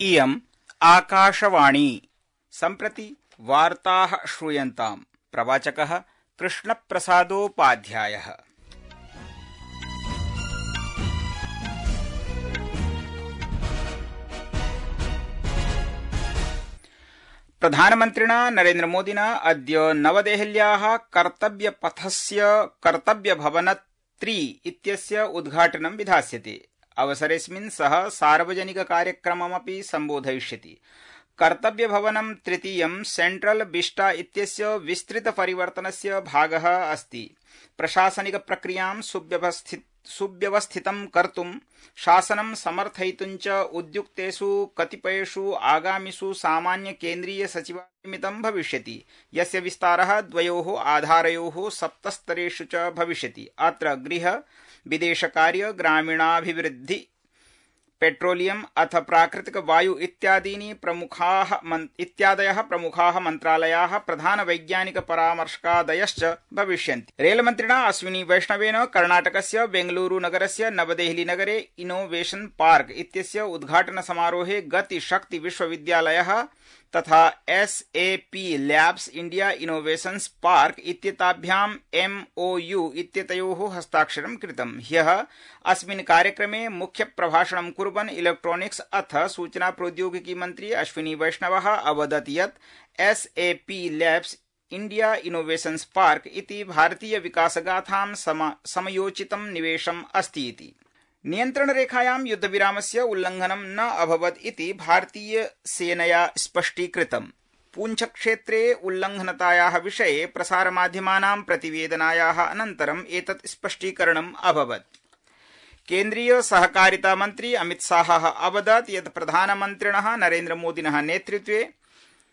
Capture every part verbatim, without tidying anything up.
इयम् आकाशवाणी। सम्प्रति वार्ताः श्रूयन्ताम्। प्रवाचकः कृष्णप्रसादोपाध्यायः। प्रधानमन्त्रिणा नरेन्द्रमोदिना अद्य नवदेहल्याः कर्तव्यपथस्य कर्तव्यभवन त्रि इत्यस्य उद्घाटनं विधास्यते। अवसरेऽस्मिन् सः सार्वजनिककार्यक्रममपि सम्बोधयिष्यति। कर्तव्यभवनं तृतीयं सेंट्रल विस्टा इत्यस्य विस्तृतपरिवर्तनस्य भागः अस्ति। प्रशासनिकप्रक्रियां सुव्यवस्थित सुव्यवस्थितं कर्तुं शासनं समर्थयितुं च उद्युक्तेषु कतिपयेषु आगामिषु सामान्यकेन्द्रीयसचिवालयमितं भविष्यति, यस्य विस्तारः द्वयोः आधारयोः सप्तस्तरेषु च भविष्यति। अत्र गृह, विदेशकार्य, ग्रामीणाभिवृद्धि, पेट्रोलियम अथ प्राकृतिक वायु इत्यादीनि प्रमुखाः इत्यादयः प्रमुखाः मन्त्रालयाः प्रधान वैज्ञानिक परामर्शकादयश्च भविष्यन्ति। रेलमन्त्रिणा अश्विनी वैष्णवेन कर्णाटकस्य बेंगलुरु नगरस्य नवदेहली नगरे इनोवेशन पार्क इत्यस्य उद्घाटन समारोहे गति शक्ति विश्वविद्यालयः तथा S A P labs India innovations park इत्येताभ्याम् एम ओ यू इत्येतयोः हस्ताक्षरं कृतम्। ह्यः अस्मिन् कार्यक्रमे मुख्य प्रभाषणं कुर्वन् इलेक्ट्रॉनिक्स अथ सूचना प्रौद्योगिकी मन्त्री अश्विनी वैष्णवः अवदत् यत् S A P labs India innovations park इति भारतीय विकासगाथां सम समयोचितं निवेशम् अस्ति इति। नियन्त्रणरेखायां युद्धविरामस्य उल्लंघनं न अभवत् इति भारतीय सेनया स्पष्टीकृतम्। पूंछक्षेत्रे उल्लंघनतायाः विषये प्रसारमाध्यमानां प्रतिवेदनायाः अनन्तरम् एतत् स्पष्टीकरणम् अभवत्। केन्द्रीय सहकारिता मन्त्री अमितशाहः अवदत् यत् प्रधानमन्त्रिणः नरेन्द्रमोदिनः नेतृत्वे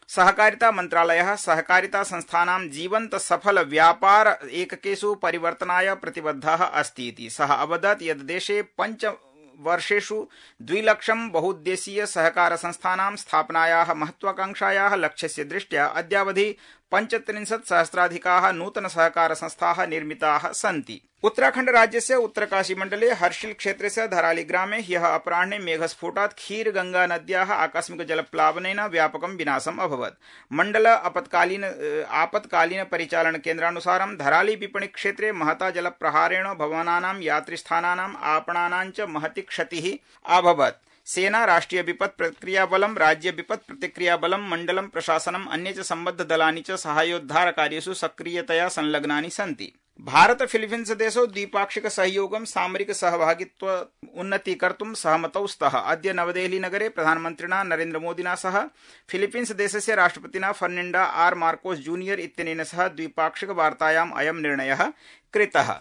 सहकारिता मन्त्रालयः सहकारिता संस्थानां जीवन्त सफल व्यापार एककेषु परिवर्तनाय प्रतिबद्धः अस्ति इति। सः अवदत् यत् देशे पञ्च वर्षेषु द्विलक्षं बहुउद्देशीय सहकार संस्थानां स्थापनायाः महत्वाकांक्षायाः लक्ष्यस्य दृष्ट्या अद्यावधि पञ्चत्रिंशत् सहस्राधिकाः नूतन सहकार संस्थाः निर्मिताः सन्ति। उत्तराखण्ड राज्यस्य उत्तरकाशी मण्डले हर्षिल क्षेत्रस्य धराली ग्रामे ह्यः अपराह्णे मेघस्फोटात् खीरगंगा नद्याः आकस्मिक जलप्लावनेन व्यापकं विनाशम् अभवत्। मण्डल आपत्कालीन आपत्कालीन परिचालन केन्द्रानुसारं धराली विपणि क्षेत्रे महता जलप्रहारेण भवनानां, यात्रिस्थानानां, आपणानां च महती क्षतिः अभवत्। सेना, राष्ट्रिय विपत् प्रतिक्रिया बलं, राज्य विपत् प्रतिक्रिया बलं, मण्डलं प्रशासनम्, अन्ये च सम्बद्ध दलानि च साहाय्योद्धार कार्येषु सक्रियतया संलग्नानि सन्ति। भारत फिलीपीन्स देशौ द्विपाक्षिक सहयोगं सामरिक सहभागित्व उन्नतीकर्तुं सहमतौ स्तः। अद्य नवदेहली नगरे प्रधानमन्त्रिणा नरेन्द्रमोदिना सह फिलीपीन्स देशस्य राष्ट्रपतिना फर्निंडा आर मार्कोस जूनियर इत्यनेन सह द्विपाक्षिक वार्तायाम् अयं निर्णयः कृतः।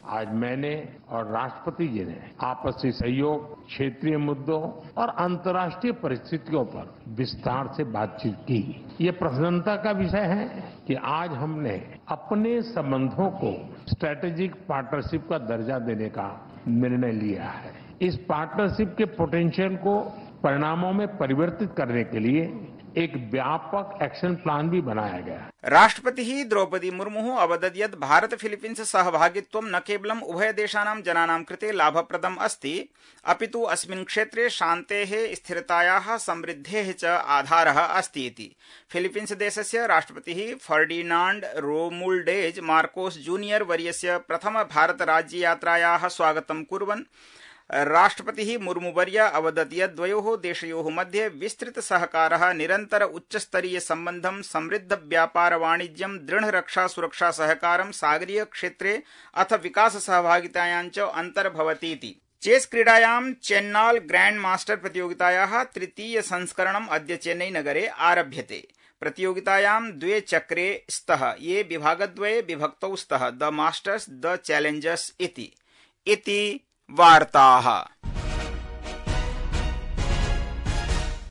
आज मैंने और राष्ट्रपति जी ने आपसी सहयोग, क्षेत्रीय मुद्दों और अंतर्राष्ट्रीय परिस्थितियों पर विस्तार से बातचीत की। ये प्रसन्नता का विषय है कि आज हमने अपने संबंधों को स्ट्रेटेजिक पार्टनरशिप का दर्जा देने का निर्णय लिया है। इस पार्टनरशिप के पोटेंशियल को परिणामों में परिवर्तित करने के लिए एक व्यापक एक्शन प्लान भी बनाया गया। राष्ट्रपतिः द्रौपदी मुर्मुः अवदत् यत् भारत फिलीपीन्स सहभागित्वं न केवलम् उभयदेशानां जनानां कृते लाभप्रदम् अस्ति, अपितु अस्मिन् क्षेत्रे शान्तेः, स्थिरतायाः, समृद्धेः च आधारः अस्ति इति। फिलीपीन्स देशस्य राष्ट्रपतिः फर्डिनाण्ड रोमुल्डेज मार्कोस जूनियर वर्यस्य प्रथम भारत राज्ययात्रायाः स्वागतं कुर्वन् राष्ट्रपतिः मुर्मुवर्य अवदत् यत् द्वयोः देशयोः मध्ये विस्तृत सहकारः, निरन्तर उच्चस्तरीय सम्बन्धं, समृद्ध व्यापार वाणिज्यं, दृढ रक्षा सुरक्षा सहकारं, सागरीय क्षेत्रे अथ विकास सहभागितायां च अन्तर्भवतीति। चेस क्रीडायां चेन्नॉल ग्रैंड मास्टर प्रतियोगितायाः तृतीय संस्करणम् अद्य चेन्नई नगरे आरभ्यते। प्रतियोगितायां द्वे चक्रे स्तः, ये विभागद्वये विभक्तौ स्तः, द मास्टर्स द चैलेंजर्स इति। इति वार्ताः।